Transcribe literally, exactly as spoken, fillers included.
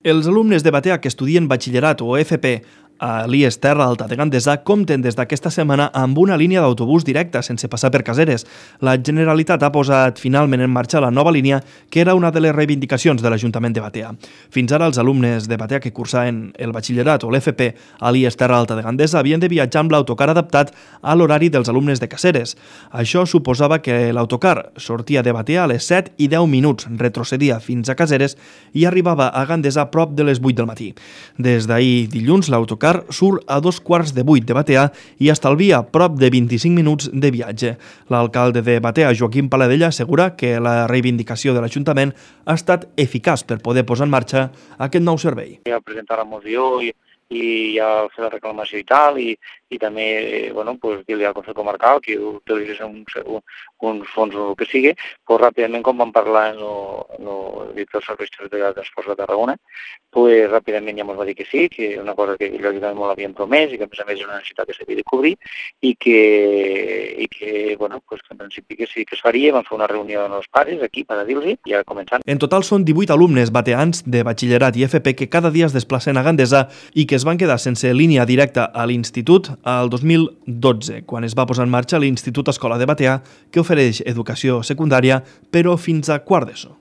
Els alumnes de Batea que estudien batxillerat o F P a l'I E S Terra Alta de Gandesa compten des d'aquesta setmana amb una línia d'autobús directa sense passar per Caseres. La Generalitat ha posat finalment en marxa la nova línia, que era una de les reivindicacions de l'Ajuntament de Batea. Fins ara, els alumnes de Batea que cursaven el batxillerat o l'F P a l'I E S Terra Alta de Gandesa havien de viatjar amb l'autocar adaptat a l'horari dels alumnes de Caseres. Això suposava que l'autocar sortia de Batea a les set i deu minuts, retrocedia fins a Caseres i arribava a Gandesa a prop de les vuit del matí. Des d'ahir dilluns, l'autocar surt a dos quarts de vuit de Batea i estalvia prop de vint-i-cinc minuts de viatge. L'alcalde de Batea, Joaquim Paladella, assegura que la reivindicació de l'Ajuntament ha estat eficaç per poder posar en marxa aquest nou servei. Ja presentar la moció i, i ja fer la reclamació i tal, i, i també bueno, pues, dir-li al Consell Comarcal que utilitzés un, un, uns fons o el que sigui, pues, ràpidament, com vam parlar en el director dels serveis territorials de transports de Tarragona, pues, ràpidament ja ens va dir que sí, que és una cosa que l'Ajuntament molt havien promès i que a més a més és una necessitat que s'havia de cobrir i que, i que, bueno, pues, que en principi que sí que es faria. Vam fer una reunió amb els pares aquí per a dir-los i ja començant. En total són divuit alumnes bateans de batxillerat i F P que cada dia es desplacen a Gandesa i que es van quedar sense línia directa a l'institut al dos mil dotze, quan es va posar en marxa l'Institut Escola de Batea, que ofereix educació secundària, però fins a quart d'ESO.